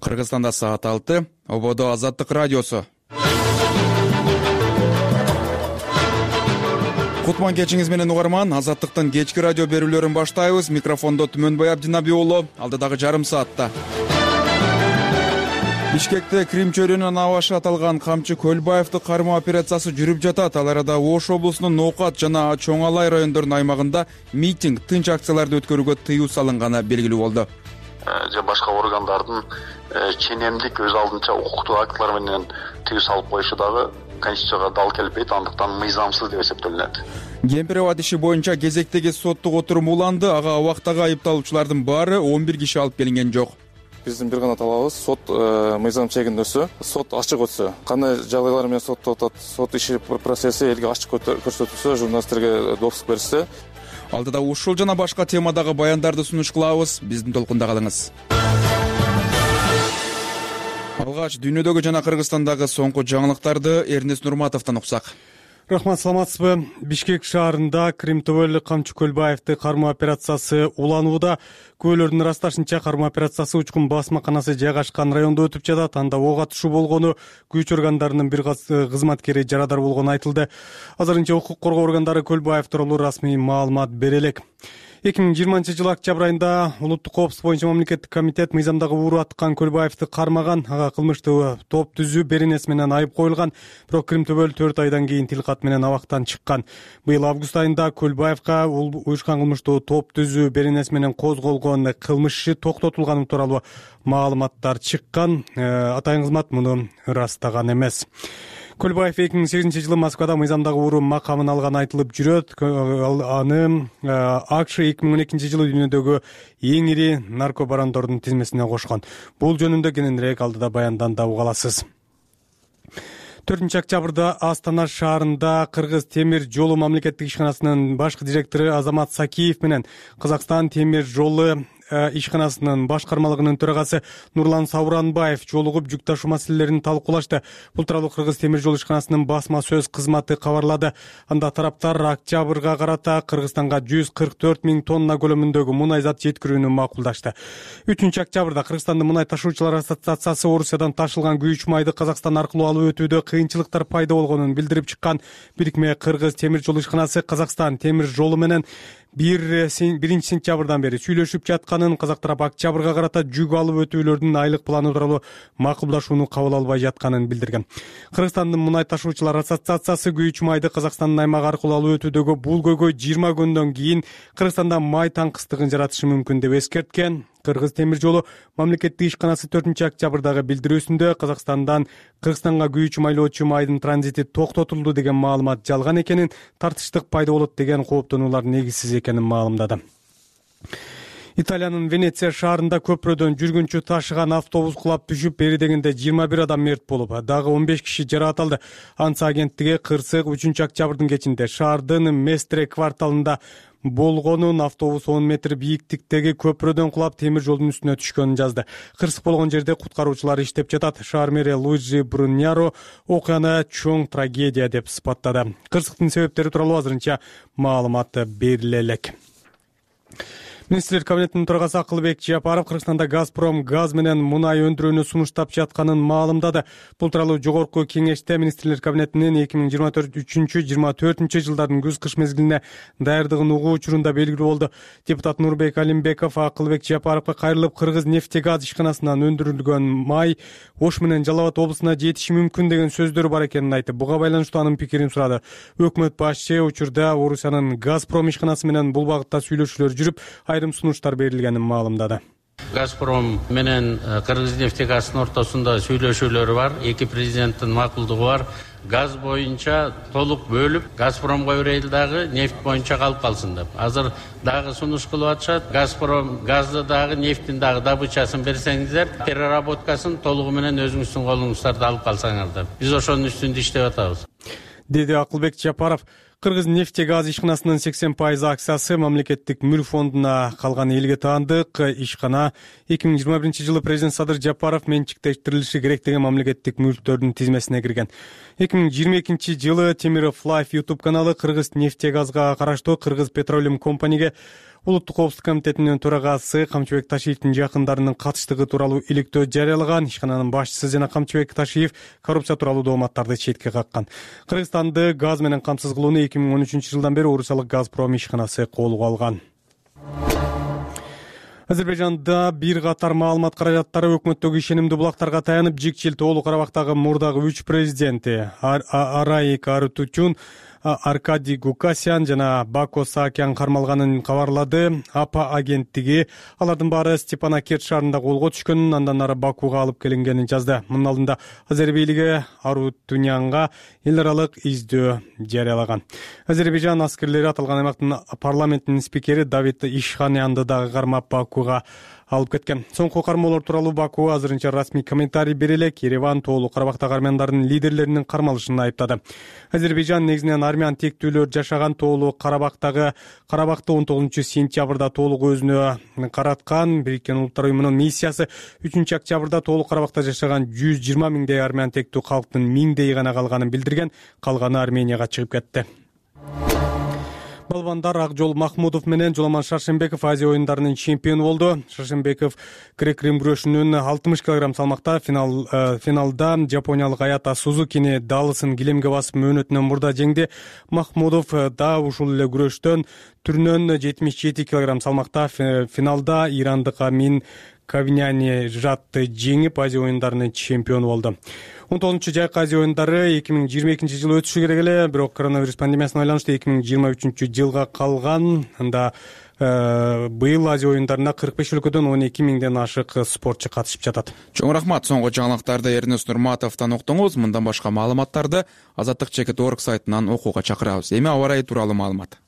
Кыргызстанда саат 6, ободо Азаттык радиосу. Кутман кечиңиз менен угарман, Азаттыктын кечки радио берүүлөрүн баштайбыз. Микрофондо Түмөнбай Абдинабиулу, алдыдагы жарым саатта. Бишкекте Крим чөйрөнүн абашы аталган Камчы Көлбаевди кармоо операциясы жүрүп жатат. Ал арада Ош облусунун Ноокат жана Чоң Алай райондорунун аймагында митинг, тынч акцияларды өткөрүүгө тыюу салынганы белгилүү болду. Же башка органдардын ченемдик өз алдынча укуктуу актылар менен тыюу салып коюшу дагы Конституцияга дал келбейт, андыктан мыйзамсыз деп эсептелинет. Кемпирова иши боюнча кезектеги соттук отурум уланды. Ага убактагы айыпталуучулардын баары 11 киши алып келинген жок. Биздин бир гана талабыбыз сот мыйзам чегинде өтсө, сот ачык өтсө, кандай жагдайлар менен сотто атат, сот иши процесси элге ачык көрсөтүлсө, журналисттерге допуск берилсе. Алдыда ушул жана башка темадагы баяндарды сунуш кылабыз. Биздин толкунда калыңыз. Алгач дүйнөдөгү жана Кыргызстандагы соңку жаңылыктарды Эрнест Нурматовдон уксак. Рахмат, саламатсызбы? Бишкек шаарында Крим төбөлүк Камчы Көлбаевди кармоо операциясы уланууда. Күбөлөрдүн ырасташынча кармоо операциясы учкун басмаканасы жайгашкан райондо өтүп жатат. Анда ок атышуу болгону, күч органдарынын бир кызматкери жарадар болгону айтылды. Азырынча укук коргоо органдары Көлбаев тууралуу расмий маалымат бере элек. 2020 октябрь айында улуттук коопсуздук боюнча мамлекеттик комитет мыйзамдагы ууру аткан Көлбаевди кармаган, ага кылмыштуу топ түзүү беренеси менен айып коюлган. Бирок Крим төбөл 4 айдан кийин тилкат менен абактан чыккан. Быйыл август айында Көлбаевга уюшкан кылмыштуу топ түзүү беренеси менен козголгон кылмыш иши токтотулганы тууралуу маалыматтар чыккан. Атайын кызмат муну ырастаган эмес. Көлбаев 2008 жылы Москвада мыйзамдагы ууру макамын алганы айтылып жүрөт. Аны АКШ 2012 жылы дүйнөдөгү эң ири наркобарондордун тизмесине кошкон. Бул жөнүндө кененирээк алдыда баяндан да угаласыз. 4 октябрда Астана шаарында Кыргыз темир жолу мамлекеттик ишканасынын башкы директору Азамат Сакиев менен Казакстан темир жолу ишканасынын башкармалыгынын төрагасы Нурлан Сауранбаев жолугуп жүк ташуу маселелерин талкуулашты. Бул тууралуу Кыргыз темир жол ишканасынын басма сөз кызматы кабарлады. Анда тараптар октябрга карата Кыргызстанга 144 000 тонна көлөмүндөгү мунай зат жеткирүүнү макулдашты. 3 октябрда Кыргызстандын мунай ташуучулар ассоциациясы Орусиядан ташылган күйүүч майды Казакстан аркылуу алып өтүүдө кыйынчылыктар пайда болгонун билдирип чыккан. Бирикме Кыргыз темир жол ишканасы Казакстан темир жолу менен 1 сентябрдан бери сүйлөшүп жатканын, казак тарап октябрга карата жүк алып өтүүлөрдүн айлык планы тууралуу макулдашууну кабыл албай жатканын билдирген. Кыргызстандын мунай ташуучулар ассоциациясы күйүүч майды Казакстандын аймагы аркылуу алып өтүүдөгү бул көйгөй 20 күндөн кийин Кыргызстанда май таңкыстыгын жаратышы мүмкүн деп эскерткен. Кыргыз темир жолу мамлекеттик ишканасы 4 октябрдагы билдирүүсүндө Казакстандан Кыргызстанга күйүүчү майлоочу майдын транзити токтотулду деген маалымат жалган экенин, тартыштык пайда болот деген кооптонуулар негизсиз экенин маалымдады. Италиянын Венеция шаарында көпүрөдөн жүргүнчү ташыган автобус кулап түшүп, бери дегенде 21 адам мерт болуп, дагы 15 киши жаракат алды. Анса агенттиги кырсык 3 октябрдын кечинде шаардын Местре кварталында болгонун, автобус 10 метр бийиктиктеги көпүрөдөн кулап темир жолдун үстүнө түшкөнүн жазды. Кырсык болгон жерде куткаруучулар иштеп жатат. Шаар мэри Луиджи Бруньяро окуяны чоң трагедия деп сыпаттады. Кырсыктын себептери тууралуу азырынча маалымат бериле элек. Министрлер кабинетинин төрагасы Акылбек Жапаров Кыргызстанда Газпром газ менен мунай өндүрүүнү сунуштап жатканын маалымдады. Бул тууралуу жогорку кеңеште Министрлер кабинетинин 2023-24 жылдардын күз-кыш мезгилине даярдыгын угуу учурунда белгилүү болду. Депутат Нурбек Алимбеков Акылбек Жапаровго кайрылып, Кыргыз нефтегаз ишканасынан өндүрүлгөн май Ош менен Жалал Абад облусуна жетиши мүмкүн деген сөздөр бар экенин айтып, буга байланыштуу анын пикирин сурады. Өкмөт башчы учурда Орусиянын Газпром ишканасы менен бул багытта сүйлөшүүлөр жүрүп, айрым сунуштар берилгенин маалымдады. Газпром менен Кыргыз нефтегаздын ортосунда сүйлөшүүлөр бар, эки президенттин макулдугу бар. Газ боюнча толук бөлүп, Газпромго берели дагы нефт боюнча калып калсын деп. Азыр дагы сунуш кылып атышат. Газпром газды дагы нефтин дагы добычасын берсеңиздер, переработкасын толугу менен өзүңүздүн колуңуздарда алып калсаңар деп. Биз ошонун үстүндө иштеп атабыз, деди Акылбек Жапаров. Кыргыз нефтегаз ишканасынын 80% акциясы мамлекеттик мүлк фондуна калган элге таандык. Ишкана 2021 жылы президент Садыр Жапаров менчиктештирилиши керек деген мамлекеттик мүлктөрдүн тизмесине кирген. 2022 жылы Темиров Life YouTube каналы Кыргыз нефтегазга караштуу Кыргыз Petroleum Company'ге Улуттук коопсуздук комитетинин төрагасы Камчыбек Ташиевдин жакындарынын катыштыгы тууралуу иликтөө жарыялаган. Ишкананын башчысы жана Камчыбек Ташиев коррупция тууралуу дооматтарды четке каккан. Кыргызстанды газ менен камсыз кылууну 2013 жылдан бери Орусиялык Газпром ишканасы колго алган. Азербайжанда бир катар маалымат каражаттары өкмөттөгү ишенимдүү булактарга таянып, жикчил Тоолуу Карабактагы мурдагы 3 президенти Араик Арутучун, Аркадий Гукасян жана Бако Саакян кармалганын кабарлады. АПА агенттиги алардын баары Степанакерт шаарында колго түшкөнүн, андан ары Бакуга алып келингенин жазды. Мунун алдында Азер бийлиги Арутунянга эл аралык издөө жарыялаган. Азербайжан аскерлери аталган аймактын парламентинин спикери Давид Ишханянды дагы кармап Бакуга алып кеткен. Соңку кармоолор тууралуу Баку азырынча расмий комментарий бере элек. Ереван Тоолуу Карабактагы армяндардын лидерлеринин кармалышын айыптады. Азербайжан негизинен армян тектүүлөр жашаган Тоолуу Карабакты 19-сентябрда толук өзүнө караткан. Бириккен Улуттар уюмунун миссиясы 3-октябрда Тоолуу Карабакта жашаган 120 миңдей армян тектүү калктын миңдей гана калганын билдирген. Калганы Арменияга чыгып кетти. Балбандар Акжол Махмудов менен Жоламан Шаршембеков Азия оюндарынын чемпиону болду. Шаршембеков грек-рим күрөшүнүн 60 кг салмакта финалда жапониялык Аята Сузукини далысын килемге басып мөөнөтүнөн мурда жеңди. Махмудов да ушул эле күрөштөн түрүнөн 77 кг салмакта финалда ирандык Амин Кавиняни жатты жеңип Азия оюндарынын чемпиону болду. 19-жайкы Азия оюндары 2022 жылы өтүшү керек эле, бирок коронавирус пандемиясына байланыштуу 2023 жылга калган. Анда быйыл Азия оюндарына 45 өлкөдөн 12 миңден ашык спортчу катышып жатат. Чоң рахмат. Соңку жаңылыктарды Эрнест Нурматовдон уктуңуз. Мындан башка маалыматтарды Азаттык.org сайтынан окууга чакырабыз. Эми аба ырайы тууралуу маалымат.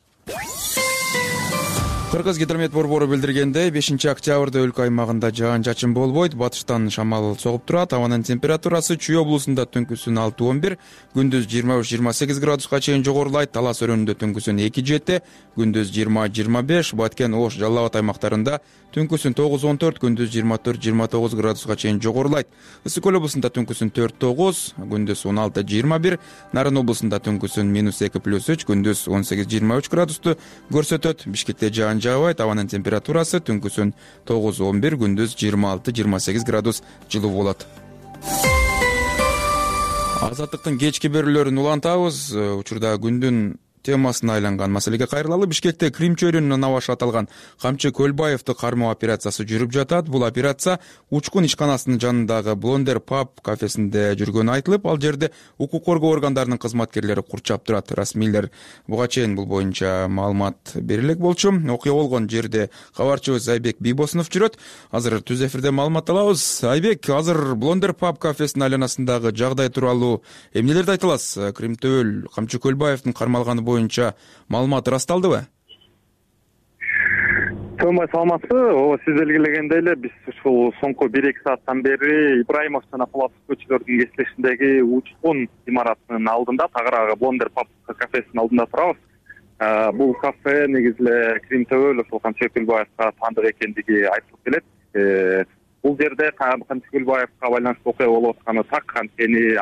Кыргыз гидромет борбору билдиргендей, 5-октябрда өлкө аймагында жаан-чачын болбойт, батыштан шамал согуп турат. Абанын температурасы Чүй облусунда түнкүсүн 6-11, күндүз 23-28 градуска чейин жогорулайт. Талас өрөөнүндө түнкүсүн 2-7, күндүз 20-25, Баткен, Ош, Жалал Абад аймактарында түнкүсүн 9-14, күндүз 24-29 градуска чейин жогорулайт. Ысык көл облусунда түнкүсүн 4-9, күндүз 16-21, Нарын облусунда түнкүсүн -2+3, күндүз 18-23 градусту көрсөтөт. Бишкекте жаан жаабайт, абанын температурасы түнкүсүн 9-11, күндүз 26-28 градус жылуу болот. Азаттыктын кечки берүүлөрүн улантабыз. Учурда күндүн темасына айланган маселеге кайрылалы. Бишкекте Крим чөйрөнүнө наваш аталган Камчы Көлбаевди кармоо операциясы жүрүп жатат. Бул операция учкун ишканасынын жанындагы Blonder Pub кафесинде жүргөнү айтылып, ал жерде укук коргоо органдарынын кызматкерлери курчап турат. Расмийлер буга чейин бул боюнча маалымат бере элек болчу. Окуя болгон жерде кабарчыбыз Айбек Бийбосунов жүрөт. Азыр түз эфирде маалымат алабыз. Айбек, азыр Blonder Pub кафесинин айланасындагы жагдай тууралуу эмнелерди айта аласыз? Кримтөөл Камчы Көлбаевдин кармалганы боюнча маалымат ырасталдыбы? Томбай саламатсызбы? Ооба, сиз белгилегендей эле биз ушул соңку 1-2 сааттан бери Ибраимов жана Пулатов көчөлөрүнүн кесилишиндеги учкун имаратынын алдында, тагыраагы Blonder Pub кафесинин алдында турабыз. Бул кафе негизи эле Кримтөөл ошол Камчы Көлбаевга таандык экендиги айтылып келет. Бул жерде Камчы Көлбаевга байланыштуу окуя болуп атканы так, анткени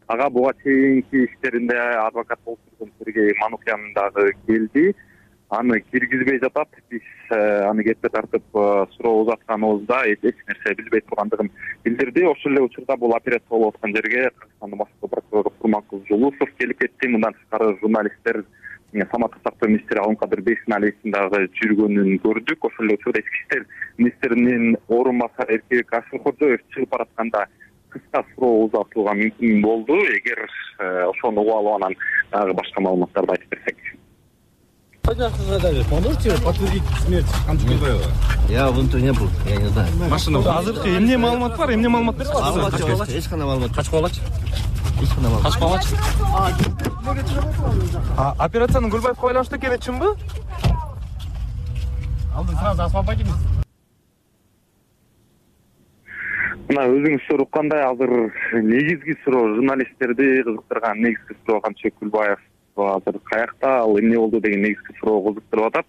ага буга чейинки иштеринде адвокат болуп жүргөн Сергей Манукян дагы келди. Аны киргизбей жатат. Биз аны кепке тартып суроо узатканыбызда эч нерсе билбей тургандыгын билдирди. Ошол эле учурда бул операция болуп аткан жерге Кыргызстандын башкы прокурору Курманкул Жулусов келип кетти. Мындан тышкары журналисттер Саматтык сактоо министри Алымкадыр Бейсеналиевдин дагы жүргөнүн көрдүк. Ошол эле учурда ички иштер министринин орун басары Эркебек Ашыркожоев чыгып баратканда кыска суроо узатууга мүмкүн болду. Эгер ошону угуп алып анан дагы башка маалыматтарды айтып берсек. Можете подтвердить смерть Камчы Көлбаева? Я внутри не был, я не знаю. Машина азыркы эмне маалымат бар? Эмне маалымат берсиз? Эч кандай маалымат. Качып калгачы? Эч кандай маалымат. Качып калгачы? Операциянын Көлбаевге байланыштуу экени чынбы? Алдын сразу освободимся. Мына өзүңүздөр уккандай азыр негизги суроо журналисттерди кызыктырган негизги суроо Камчы Көлбаев азыр каякта, ал эмне болду деген негизги суроо кызыктырып атат.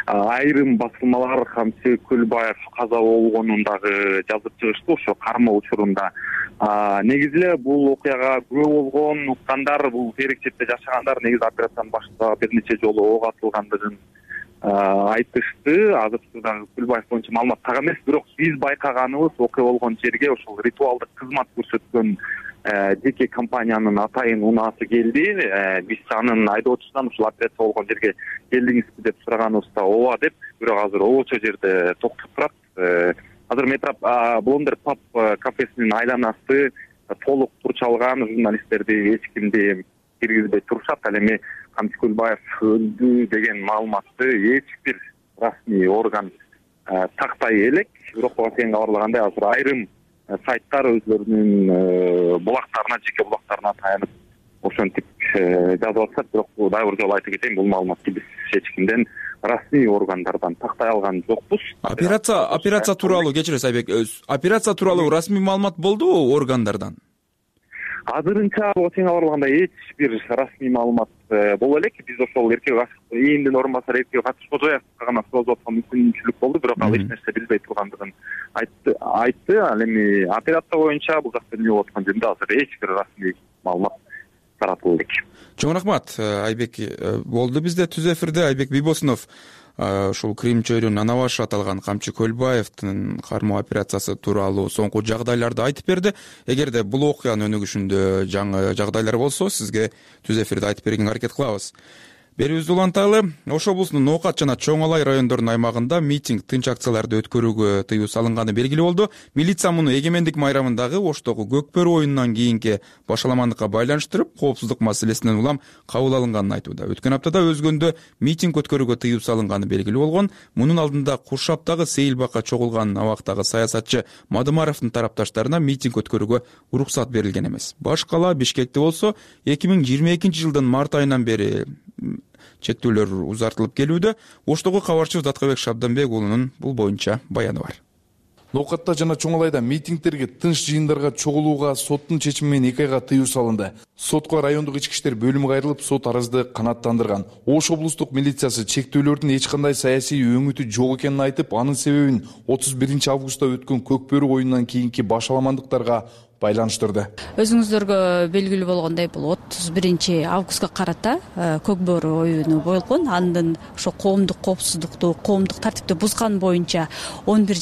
Айрым басылмалар Камчы Көлбаев каза болгонун дагы жазып чыгышты ошо кармоо учурунда. Негизи эле бул окуяга күбө болгон уккандар, бул терек четте жашагандар негизи операциянын башында бир нече жолу ок атылгандыгын айтышты. Азыркы дагы Көлбаев боюнча маалымат так эмес, бирок биз байкаганыбыз окуя болгон жерге ошол ритуалдык кызмат көрсөткөн жеке компаниянын атайын унаасы келди. Биз анын айдоочусунан ушул операция болгон жерге келдиңизби деп сураганыбызда ооба деп, бирок азыр обочо жерде токтоп турат. Азыр Блондер Pub кафесинин айланасы толук турчалган, журналисттерди эч кимди киргизбей турушат. Ал эми Камчы Көлбаев өлдү деген маалыматты эч бир расмий орган тактай элек. Бирок сен кабарлагандай азыр айрым сайттар өзлөрүнүн булактарына, жеке булактарына таянып ошентип жазып атышат. Бирок дагы бир жолу айта кетейин, бул маалыматты биз эч кимден, расмий органдардан тактай алган жокпуз. Операция тууралуу, кечиресиз Айбек, операция тууралуу расмий маалымат болдубу органдардан? Азырынча сен кабарлагандай эч бир расмий маалымат боло элек. Биз ошол ээндин орун басары Эркек Катышкожоевго гана суроо аткан мүмкүнчүлүк болду, бирок ал эч нерсе билбей тургандыгын айтты. Ал эми операция боюнча бул жакта эмне болуп аткан жөнүндө азыр эч бир расмий маалымат таратылды элек. Чоң рахмат Айбек. Болду бизде түз эфирде Айбек Бийбосунов ушул Крим чөйрөнүн ана башы аталган Камчы Көлбаевдин кармоо операциясы тууралуу соңку жагдайларды айтып берди. Эгерде бул окуянын өнүгүшүндө жаңы жагдайлар болсо, сизге түз эфирде айтып бергенге аракет кылабыз. Берүүбүздү уланталы. Ош облусунун Ноокат жана Чоң Алай райондорунун аймагында митинг, тынч акцияларды өткөрүүгө тыюу салынганы белгилүү болду. Милиция муну эгемендик майрамындагы Оштогу Көкбөрү оюнунан кийинки башаламандыкка байланыштырып, коопсуздук маселесинен улам кабыл алынганын айтууда. Өткөн аптада Өзгөндө митинг өткөрүүгө тыюу салынганы белгилүү болгон. Мунун алдында Куршаптагы Сейилбакка чогулган абактагы саясатчы Мадымаровдун тарапташтарына митинг өткөрүүгө уруксат берилген эмес. Баш кала Бишкекте болсо 2022-жылдын март айынан бери чектөөлөр узартылып келүүдө. Оштогу кабарчыбыз Аткабек Шабданбек уулунун бул боюнча баяны бар. Ноокатта жана Чоң Алайда митингдерге, тынч жыйындарга чогулууга соттун чечими менен 2 айга тыюу салынды. Сотко райондук ички иштер бөлүмү кайрылып, сот арызды канааттандырган. Ош облустук милициясы чектөөлөрдүн эч кандай саясий өңүтү жок экенин айтып, анын себебин 31-августта өткөн Көкбөрү оюнунан кийинки башаламандыктарга байланыштырды. Өзүңүздөргө белгилүү болгондой, бул 31-августка карата Көкбөрү оюну болгон. Андан ошо коомдук коопсуздукту, коомдук тартипти бузган боюнча 11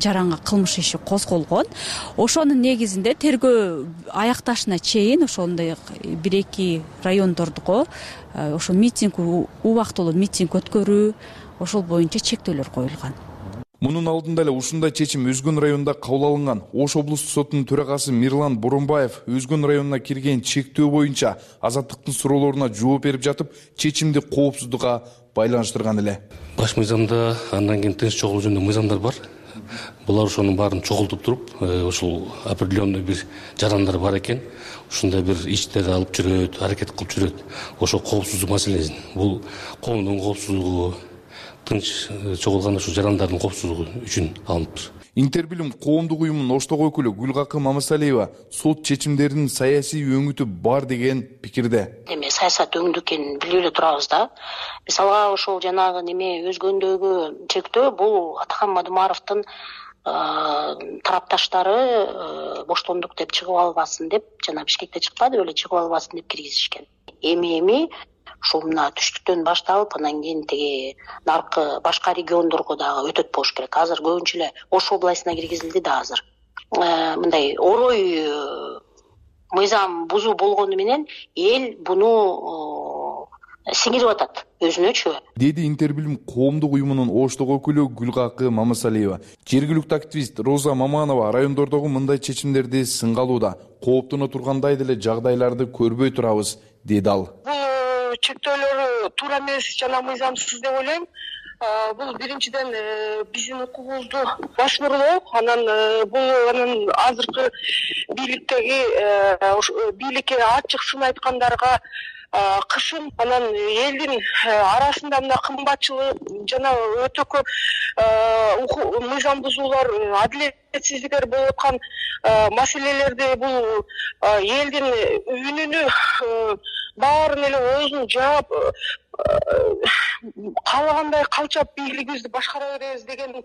жаранга кылмыш иши козголгон. Ошонун негизинде тергөө аякташына чейин ошондой 1-2 райондордуго ошо митинг, убактылуу митинг өткөрүү, ошол боюнча чектөөлөр коюлган. Мунун алдында эле ушундай чечим Өзгөн районунда кабыл алынган. Ош облустук сотунун төрагасы Мирлан Боронбаев Өзгөн районуна кирген чектөө боюнча азаттыктын суроолоруна жооп берип жатып, чечимди коопсуздукка байланыштырган эле. Баш мыйзамда андан кийин тынч чогулуу жөнүндө мыйзамдар бар. Булар ошонун баарын чогултуп туруп, ушул определенный бир жарандар бар экен. Ушундай бир иштерди алып жүрөт, аракет кылып жүрөт. Ошо коопсуздук маселесин. Бул коомдун коопсуздугу, тынч чогулган ушу жарандардын коопсуздугу үчүн алыныптыр. Интербилим коомдук уюмунун Оштогу өкүлү Гүлгакы Мамасалиева сот чечимдеринин саясий өңүтү бар деген пикирде. Эме саясат өңдү экенин билип эле турабыз да. Мисалга ошол жанагы неме Өзгөндөгү чектөө бул Атакан Мадымаровдун тарапташтары боштондук деп чыгып албасын деп, жана Бишкекте чыкпады беле, чыгып албасын деп киргизишкен. Эми ушул мына түштүктөн башталып, анан кийин тиги наркы башка региондорго дагы өтөт болуш керек. Азыр көбүнчө эле Ош областына киргизилди да азыр. Мындай орой мыйзам бузуу болгону менен эл буну сиңирип атат өзүнөчү, деди Интербилим коомдук уюмунун Оштогу өкүлү Гүлгакы Мамасалиева. Жергиликтүү активист Роза Маманова райондордогу мындай чечимдерди сынгалууда. Кооптоно тургандай деле жагдайларды көрбөй турабыз, деди ал. Чектөөлөр туура эмес жана мыйзамсыз деп ойлойм. Бул биринчиден биздин укугубузду башкаруу, анан бул азыркы бийликке ачык сын айткандарга кышын, анан элдин арасында мына кымбатчылык жана өтө көп мыйзам бузуулар, адилетсиздиктер болуп аткан маселелерди бул элдин үнүнү баарын эле оозун жаап каалагандай калчап бийлигибизди башкара беребиз деген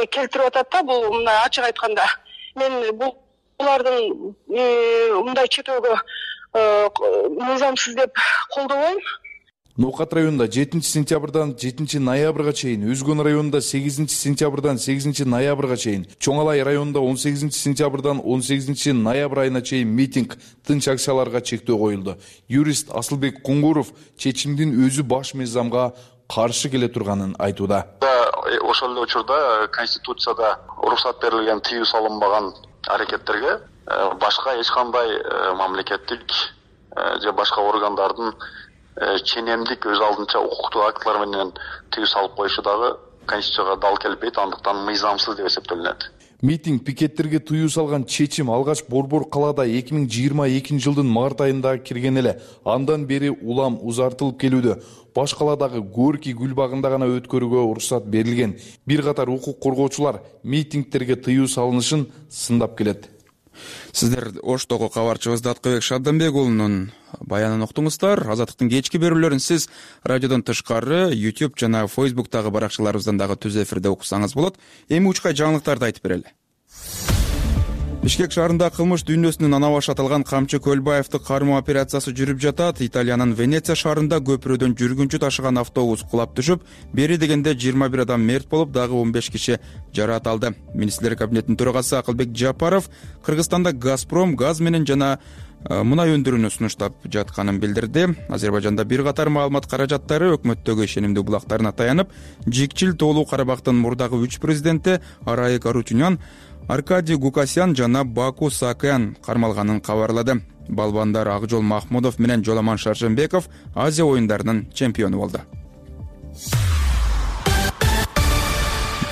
келтирип атат да. Бул мындай ачык айтканда мен булардын мындай чектөөгө мыйзамсыз деп колдобойм. Ноокат районунда 7-сентябрдан 7-ноябрга чейин, Өзгөн районунда 8-сентябрдан 8-ноябрга чейин, Чоң Алай районунда 18-сентябрдан 18-ноябрь айына чейин митинг, тынч акцияларга чектөө коюлду. Юрист Асылбек Куңгуров чечимдин өзү баш мыйзамга каршы келе турганын айтууда. Ошол эле учурда Конституцияда уруксат берилген тыюу салынбаган аракеттерге башка эч кандай мамлекеттик же башка органдардын ченемдик өз алдынча укуктук актылар менен тыюу салып коюшу дагы Конституцияга дал келбейт, андыктан мыйзамсыз деп эсептелинет. Митинг, пикеттерге тыюу салган чечим алгач Борбор калаада 2022 жылдын март айында кирген эле. Андан бери улам узартылып келүүдө. Баш каладагы Горький гүл багында гана өткөрүүгө уруксат берилген. Бир катар укук коргоочулар митингтерге тыюу салынышын сындап келет. Сиздер Оштогу кабарчыбыз Даткыбек Шабданбек уулунун баянын уктуңуздар. Азаттыктын кечки берүүлөрүн сиз радиодон тышкары YouTube жана Facebook'тагы баракчаларыбыздан дагы түз эфирде уксаңыз болот. Эми учкай жаңылыктарды айтып берели. Бишкек шаарында кылмыш дүйнөсүнүн ана башы аталган Камчы Көлбаевди кармоо операциясы жүрүп жатат. Италиянын Венеция шаарында көпүрөдөн жүргүнчү ташыган автобус кулап түшүп, бери дегенде 21 адам мерт болуп, дагы 15 киши жараат алды. Министрлер кабинетинин төрагасы Акылбек Жапаров Кыргызстанда Газпром газ менен жана мунай өндүрүүнү сунуштап жатканын билдирди. Азербайжанда бир катар маалымат каражаттары өкмөттөгү ишенимдүү булактарына таянып, Жикчил Тоолуу Карабактын мурдагы 3 президенти Арайык Арутюнян, Аркадий Гукасян жана Баку Саакян кармалганын кабарлады. Балбандар Акжол Махмудов менен Жоламан Шаршембеков Азия оюндарынын чемпиону болду.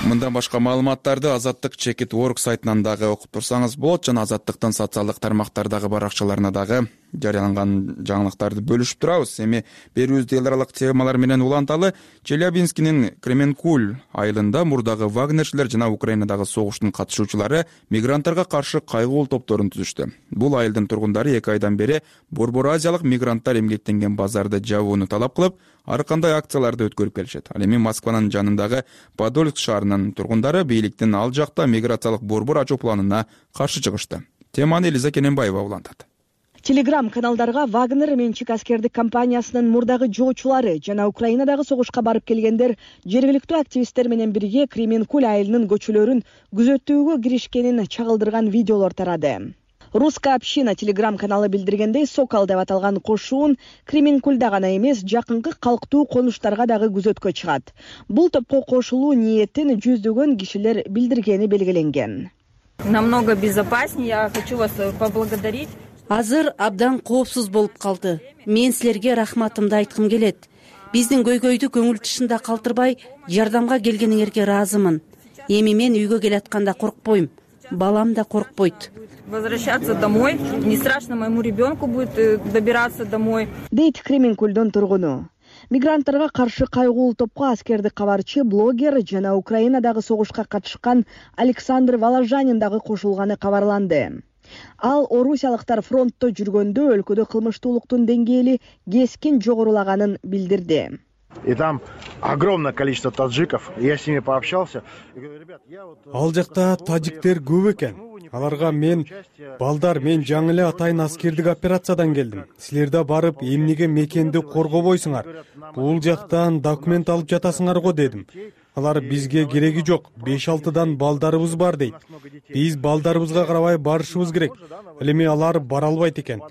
Мындан башка маалыматтарды Азаттык Чекит.org сайтынан дагы окуп турсаңыз болот, жана Азаттыктын социалдык тармактардагы баракчаларына дагы жарыяланган жаңылыктарды бөлүшүп турабыз. Эми берүүбүздө эл аралык темалар менен уланталы. Челябинскинин Кременкуль айылында мурдагы вагнерчилер жана Украинадагы согуштун катышуучулары мигранттарга каршы кайгылуу топторун түзүштү. Бул айылдын тургундары 2 айдан бери Борбор Азиялык мигранттар эмгектенген базарды жабууну талап кылып, ар кандай акцияларды өткөрүп келишет. Ал эми Москванын жанындагы Подольск шаарынын тургундары бийликтин ал жакта миграциялык борбор ачуу планына каршы чыгышты. Теманы Элиза Кененбаева улантат. Телеграм-каналдарга Вагнер менчик аскердик компаниясынын мурдагы жоочулары жана Украинадагы согушка барып келгендер жергиликтүү активисттер менен бирге Кременкуль айылынын көчөлөрүн күзөтүүгө киришкенин чагылдырган видеолор тарады. Русская община телеграм-каналы билдиргендей, Сокол деп аталган кошуун Кременкульда гана эмес, жакынкы калктуу конуштарга дагы күзөткө чыгат. Бул топко кошулуу ниетин жүздөгөн кишилер билдиргени белгиленген. Намного безопаснее, я хочу вас поблагодарить. Азыр абдан коопсуз болуп калды. Мен силерге рахматымды айткым келет. Биздин көйгөйдү көңүл тышында калтырбай, жардамга келгениңерге ыраазымын. Эми мен үйгө келатканда коркпойм. Балам да коркпойт. Возвращаться домой. Не страшно моему ребенку будет добираться домой. Дейт Кременкульдун тургуну. Мигранттарга каршы кайгылуу топко аскердик кабарчы, блогер жана Украинадагы согушка катышкан Александр Воложанин дагы кошулганы кабарланды. Ал орусиялыктар фронтто жүргөндө өлкөдө кылмыштуулуктун деңгээли кескин жогорулаганын билдирди. И там огромное количество таджиков. Я с ними пообщался. Ал жакта тажиктер көп экен. Аларга мен жаңы эле атайын аскердик операциядан келдим. Силер да барып эмнеге мекенди коргобойсуңар? Бул жактан документ алып жатасыңар го дедим. Алар бизге кереги жок. 5-6дан балдарыбыз бар дейт. Биз балдарыбызга карабай барышыбыз керек. Эми алар бара албайт экен.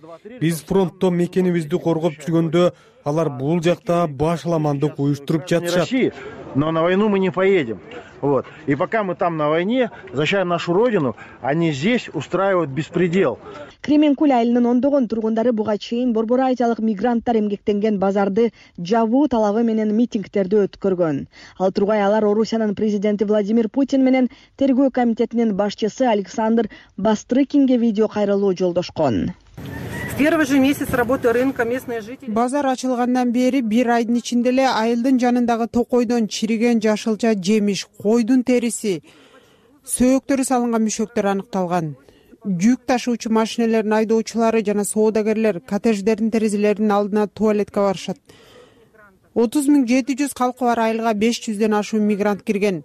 Биз фронтто мекенибизди коргоп жүргөндө алар бул жакта башаламандык уюштуруп жатышат. Но на войну мы не поедем. Вот. И пока мы там на войне, защищаем нашу родину, они здесь устраивают беспредел. Кременкуль айылынын ондогон тургундары буга чейин Борбор Азиялык мигранттар эмгектенген базарды жабуу талабы менен митингтерди өткөргөн. Ал тургай алар Орусиянын президенти Владимир Путин менен тергөө комитетинин башчысы Александр Бастрыкинге видео кайрылуу жолдошкон. В первый же месяц работы рынка местные жители. Базар ачылгандан бери бир айдын ичинде эле айылдын жанындагы токойдон чириген жашылча жемиш, койдун териси, сөөктөрү салынган мүшөктөр аныкталган. Жүк ташуучу машиналердин айдоочулары жана соодагерлер коттедждердин терезелеринин алдына туалетке барышат. 30.700 калкы бар айылга 500ден ашуун мигрант кирген.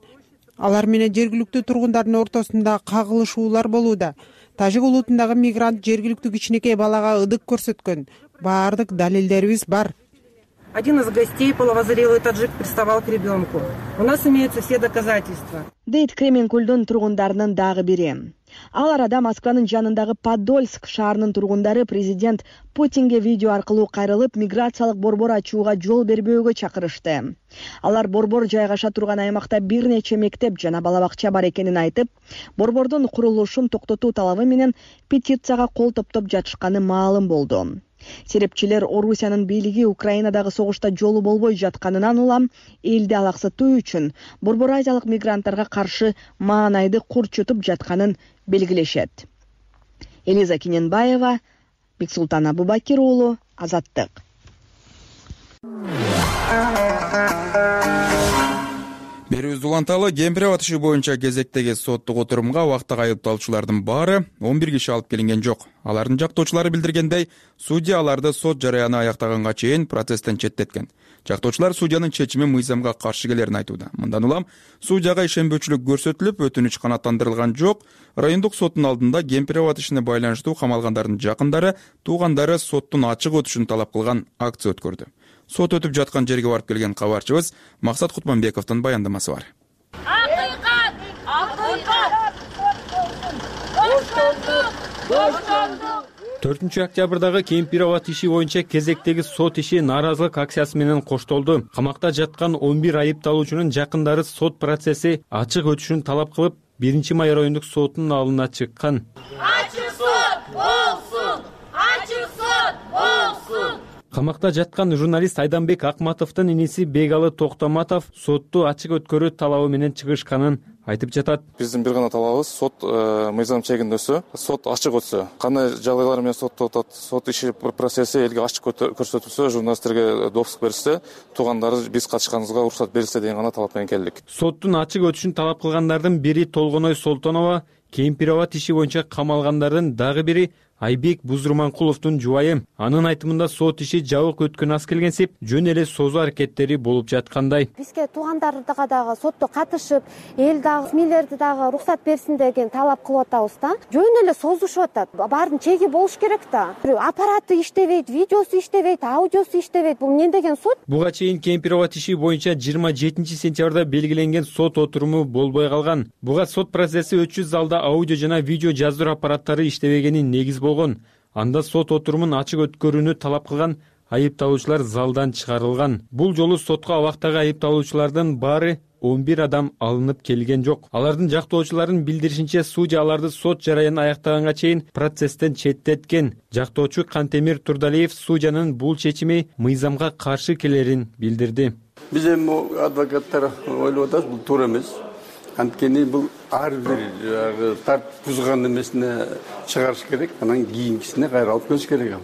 Алар менен жергиликтүү тургундардын ортосунда кагылышуулар болууда. Тажик улутундагы мигрант жергиликтүү кичинекей балага ыдык көрсөткөн. Баардык далилдерибиз бар. Один из гостей половозрелый таджик приставал к ребенку. У нас имеются все доказательства. Дейт Кременкулдун тургундарынын дагы бири. Ал арада Москванын жанындагы Подольск шаарынын тургундары президент Путинге видео аркылуу кайрылып, миграциялык борбор ачууга жол бербөөгө чакырышты. Алар борбор жайгаша турган аймакта бир нече мектеп жана бала бакча бар экенин айтып, борбордун курулушун токтотуу талабы менен петицияга кол топтоп жатышканы маалым болду. Серепчилер Орусиянын бийлиги Украинадагы согушта жолу болбой жатканынан улам элди алаксытуу үчүн борбор азиялык мигранттарга каршы маанайды курчутуп жатканын белгилешет. Элиза Кененбаева, Бексултан Абубакир уулу, Азаттык. Берүүбүздү уланталы. Кемпирабад иши боюнча кезектеги соттук отурумга убактык айыпталуучулардын баары 11 киши алып келинген жок. Алардын жактоочулары билдиргендей, судья аларды сот жарыяны аяктаганга чейин процесстен четтеткен. Жактоочулар судьянын чечими мыйзамга каршы келерин айтууда. Мындан улам судьяга ишенбөөчүлүк көрсөтүлүп, өтүнүч канааттандырылган жок. Райондук соттун алдында Кемпирабад ишине байланыштуу камалгандардын жакындары, туугандары соттун ачык өтүшүн талап кылган акция өткөрдү. Сот өтүп жаткан жерге барып келген кабарчыбыз Максат Кутманбековдун баяндамасы бар. Акыйкат! Акыйкат! 4 октябрдагы Кемпирабад иши боюнча кезектеги сот иши нааразылык акциясы менен коштолду. Камакта жаткан 11 айыпталуучунун жакындары сот процесси ачык өтүшүн талап кылып, 1 май райондук сотунун алдына чыккан. Ачык сот болсун! Ачык сот болсун! Камакта жаткан журналист Айданбек Акматовдун иниси Бегалы Токтоматов сотту ачык өткөрүү талабы менен чыгышканын айтып жатат. Биздин бир гана талабыбыз сот мыйзам чегинде сот ачык өтсө, кандай жагдайлар менен сотто отот, сот иши процесси элге ачык көрсөтүлсө, журналисттерге допуск берилсе, туугандары биз катышканыбызга уруксат берилсе деген гана талап менен келдик. Соттун ачык өтүшүн талап кылгандардын бири Толгоной Солтонова, Кемпирабад иши боюнча камалгандардын дагы бири Айбек Бузурманкуловдун жубайы. Анын айтымында сот иши жабык өткөн аз келгенсип, жөн эле созуу аракеттери болуп жаткандай. Бизге туугандарга дагы сотто катышып, эл дагы смилерди дагы уруксат берсин деген талап кылып атабыз да. Жөн эле созушуп атат. Баардын чеги болуш керек да. Аппараты иштебейт, видеосу иштебейт, аудиосу иштебейт. Бул эмне деген сот? Буга чейин Кемпирабад иши боюнча 27-сентябрда белгиленген сот отуруму болбой калган. Буга сот процесси өтчү залда аудио жана видео жаздыруу аппараттары иштебегени негиз болгон. Анда сот отурумун ачык өткөрүүнү талап кылган айыпталуучулар залдан чыгарылган. Бул жолу сотко абактагы айыпталуучулардын баары 11 адам алынып келген жок. Алардын жактоочуларын билдиришинче, судья аларды сот жараянын аяктаганга чейин процесстен четтеткен. Жактоочу Кантемир Турдалиев судьянын бул чечими мыйзамга каршы келерин билдирди. Биз эми адвокаттар ойлоп атабыз, бул туура эмес. Анткени бул ар бир тартип бузган эмесине чыгарыш керек, анан кийинкисине кайра алып келиш керек.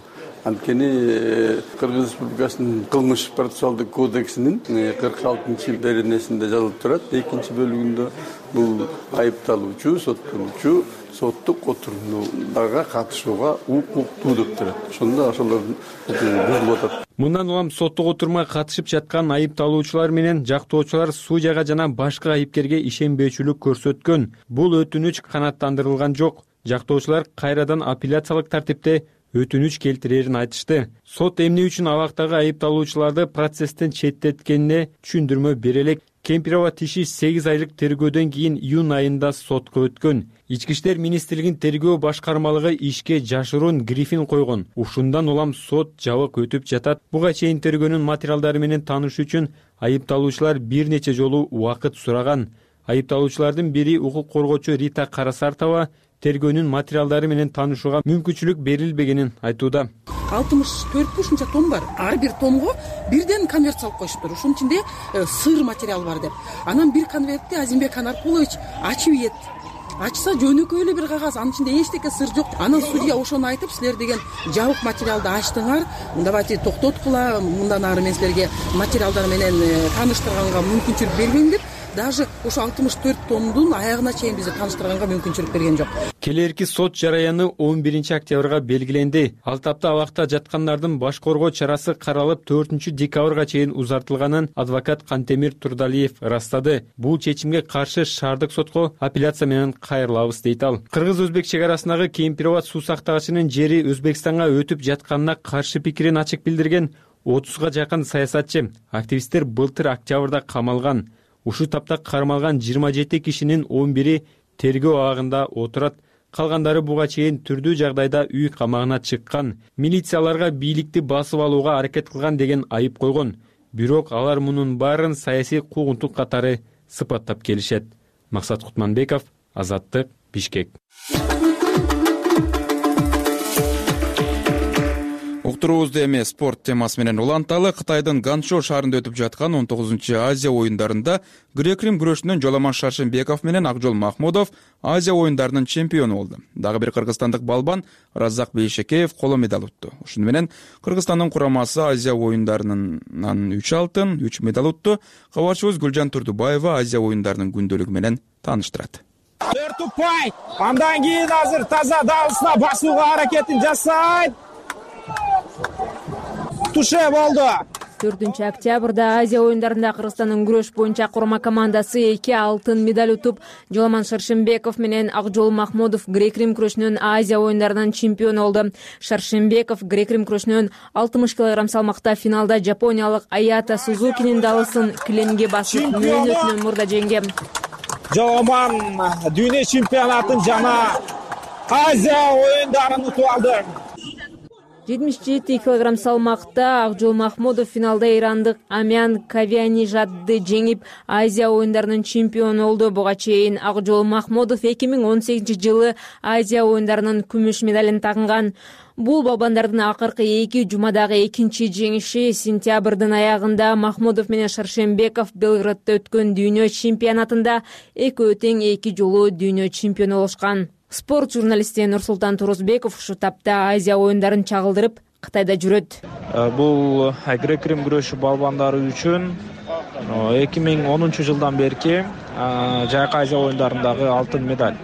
Анткени Кыргыз Республикасынын кылмыш процессуалдык кодексинин 46-беренесинде жазылып турат. 2-бөлүгүндө бул айыпталуучу, соттолуучу соттук отурумдарга катышууга укуктуу деп турат. Ошондо ошолордун бузулуп атат. Мындан улам соттук отурумга катышып жаткан айыпталуучулар менен жактоочулар судьяга жана башка айыпкерге ишенбөөчүлүк көрсөткөн. Бул өтүнүч канааттандырылган жок. Жактоочулар кайрадан апелляциялык тартипте өтүнүч келтирерин айтышты. Сот эмне үчүн абактагы айыпталуучуларды процесстен четтеткенине түшүндүрмө бере элек. Кемпирабад иши 8 айлык тергөөдөн кийин июнь айында сотко өткөн. Ички иштер министрлигинин тергөө башкармалыгы ишке жашыруун грифин койгон. Ушундан улам сот жабык өтүп жатат. Буга чейин тергөөнүн материалдары менен таанышуу үчүн айыпталуучулар бир нече жолу убакыт сураган. Айыпталуучулардын бири укук коргоочу Рита Карасартова тергөөнүн материалдары менен таанышууга мүмкүнчүлүк берилбегенин айтууда. 64 ушунча том бар. Ар бир томго бирден конверт салып коюшуптур. Ушунун ичинде сыр материал бар деп. Анан бир конвертти Азимбек Анаркулович ачып ийет. Ачса жөнөкөй эле бир кагаз, анын ичинде эчтеке сыр жок. Анан судья ошону айтып, силер деген жабык материалды ачтыңар, давайте токтоткула, мындан ары мен силерге материалдар менен тааныштырганга мүмкүнчүлүк бербейм деп, даже ошо 64 томдун аягына чейин бизди тааныштырганга мүмкүнчүлүк берген жок. Келерки сот жараяны 11 октябрга белгиленди. Ал тапта абакта жаткандардын баш коргоо чарасы каралып 4 декабрга чейин узартылганын адвокат Кантемир Турдалиев ырастады. Бул чечимге каршы шаардык сотко апелляция менен кайрылабыз дейт ал. Кыргыз-өзбек чек арасындагы Кемпирабад суу сактагычынын жери Өзбекстанга өтүп жатканына каршы пикирин ачык билдирген 30га жакын саясатчы, активисттер былтыр октябрда камалган. Ушул тапта кармалган 27 кишинин 11-и тергөө абагында отурат. Калгандары буга чейин түрдүү жагдайда үй камагына чыккан. Милицияларга бийликти басып алууга аракет кылган деген айып койгон. Бирок алар мунун баарын саясий куугунтук катары сыпаттап келишет. Максат Кутманбеков, Азаттык, Бишкек. Уктуруубузду эми спорт темасы менен уланталы. Кытайдын Ганчжоу шаарында өтүп жаткан 19-Азия оюндарында грек-рим күрөшүнөн Жоламан Шаршенбеков менен Акжол Махмудов Азия оюндарынын чемпиону болду. Дагы бир кыргызстандык балбан Разак Бейшекеев коло медаль утту. Ушуну менен Кыргызстандын курамасы Азия оюндарынан 3 алтын, 3 медаль утту. Кабарчыбыз Гүлжан Турдубаева Азия оюндарынын күндөлүгү менен тааныштырат. 4 упай. Андан кийин азыр таза дагысына басууга аракетин жасайт. Туше болду. 4-октябрда Азия оюндарында Кыргызстандын күрөш боюнча курама командасы 2 алтын медаль утуп, Жоламан Шаршенбеков менен Акжол Махмудов грек-рим күрөшүнөн Азия оюндарынын чемпиону болду. Шаршенбеков грек-рим күрөшүнөн 60 кг салмакта финалда жапониялык Аята Сузукинин далысын килемге басып, мөөнөтүнөн мурда жеңген. Жоламан дүйнө чемпионатын жана Азия оюндарын утуп алды. 77 кг салмакта Акжол Махмудов финалда ирандык Амян Кавианижадды жеңип, Азия оюндарынын чемпиону болду. Буга чейин Акжол Махмудов 2018-жылы Азия оюндарынын күмүш медалин тагынган. Бул балбандардын акыркы 2 жумадагы экинчи жеңиши. Сентябрдын аягында Махмудов менен Шаршенбеков Белградда өткөн дүйнө чемпионатында экөө тең 2 жолу дүйнө чемпиону болушкан. Спорт журналисти Нурсултан Турузбеков ушу тапта Азия оюндарын чагылдырып, Кытайда жүрөт. Бул грек-рим күрөшү балбандары үчүн 2010-жылдан берки жайкы Азия оюндарындагы алтын медаль.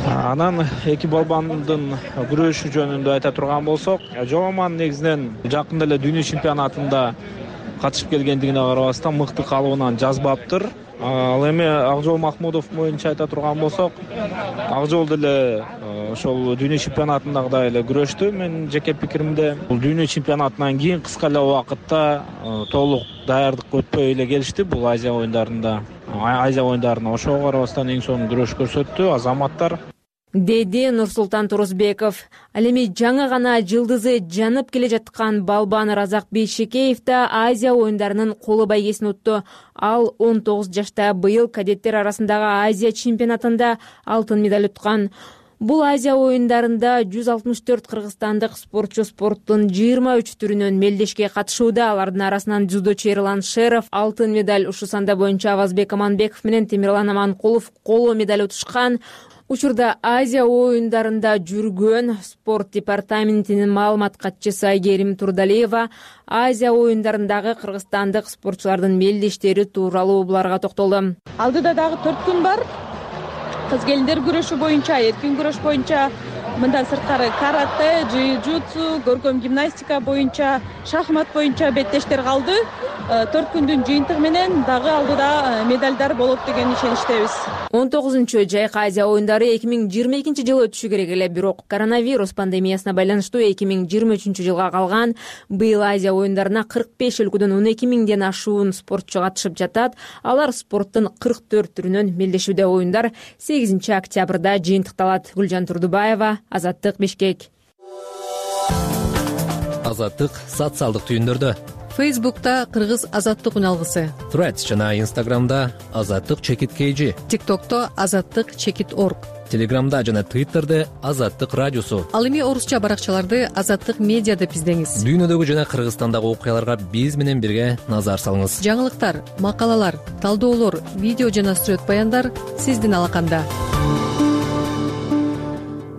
Анан эки балбандын күрөшү жөнүндө айта турган болсок, Жоламан негизинен жакында эле дүйнө чемпионатында катышып келгендигине карабастан мыкты калыбынан жазбаптыр. Ал эми Акжол Махмудов боюнча айта турган болсок, Акжол деле ошол дүйнө чемпионатындагыдай эле күрөштү. Менин жеке пикиримде, бул дүйнө чемпионатынан кийин кыска эле убакытта толук даярдык өтпөй эле келишти бул Азия оюндарына. Ошого карабастан эң сонун күрөш көрсөттү азаматтар, деди Нурсултан Турузбеков. Ал эми жаңы гана жылдызы жанып келе жаткан балбан Разак Бейшекеев да Азия оюндарынын коло байгесин утту. Ал 19 жашта быйыл кадеттер арасындагы Азия чемпионатында алтын медаль уткан. Бул Азия оюндарында 164 кыргызстандык спортчу спорттун 23 түрүнөн мелдешке катышууда. Алардын арасынан дзюдочу Эрлан Шеров алтын медаль, ушу санда боюнча Авазбек Аманбеков менен Темирлан Аманкулов коло медаль утушкан. Учурда Азия оюндарында жүргөн спорт департаментинин маалымат катчысы Айгерим Турдалиева Азия оюндарындагы кыргызстандык спортчулардын мелдештери тууралуу буларга токтолду. Алдыда дагы 4 күн бар. Кыз-келиндер күрөшү боюнча, эркин күрөш боюнча, мындан сырткары карате, джиу-джитсу, көркөм гимнастика боюнча, шахмат боюнча беттештер калды. 4 күндүн жыйынтыгы менен дагы алдыда медальдар болот деген ишеничтебиз. 19 жайкы Азия оюндары 2022-жылы өтүшү керек эле, бирок коронавирус пандемиясына байланыштуу 2023-жылга калган. Быйыл Азия оюндарына 45 өлкөдөн 12 миңден ашуун спортчу катышып жатат. Алар спорттун 44 түрүнөн мелдешүүдө. Оюндар 8-октябрда жыйынтыкталат. Гүлжан Турдубаева, Азаттык, Бишкек. Азаттык социалдык түйүндөрдө. Фейсбукта Кыргыз Азаттык үналгысы, Threads жана Instagramда Азаттык _KG, TikTokто Азаттык_org, Телеграмда жана Twitterде Азаттык радиосу. Ал эми орусча баракчаларды Азаттык медиа деп издеңиз. Дүйнөдөгү жана Кыргызстандагы окуяларга биз менен бирге назар салыңыз. Жаңылыктар, макалалар, талдоолор, видео жана сүрөт баяндар сиздин алаканда.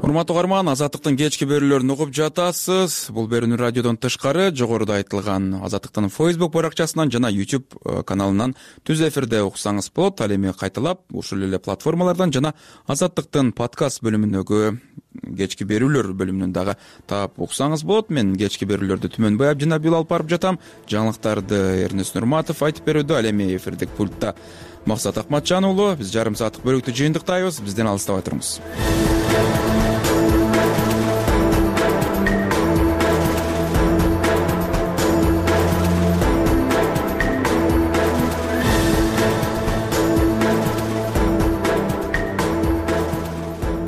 Урматтуу угарман, Азаттыктын кечки берүүлөрүн угуп жатасыз. Бул берүүнү радиодон тышкары жогоруда айтылган Азаттыктын Facebook баракчасынан жана YouTube каналынан түз эфирде уксаңыз болот. Ал эми кайталап ушул эле платформалардан жана Азаттыктын подкаст бөлүмүндөгү кечки берүүлөр бөлүмүнөн дагы таап уксаңыз болот. Мен кечки берүүлөрдү Түмөнбай Абдинабил алып барып жатам. Жаңылыктарды Эрнест Нурматов айтып берүүдө. Ал эми эфирдик пультта Максат Акматжан уулу. Биз жарым сааттык бөлүктү жыйынтыктайбыз. Бизден алыстабай туруңуз.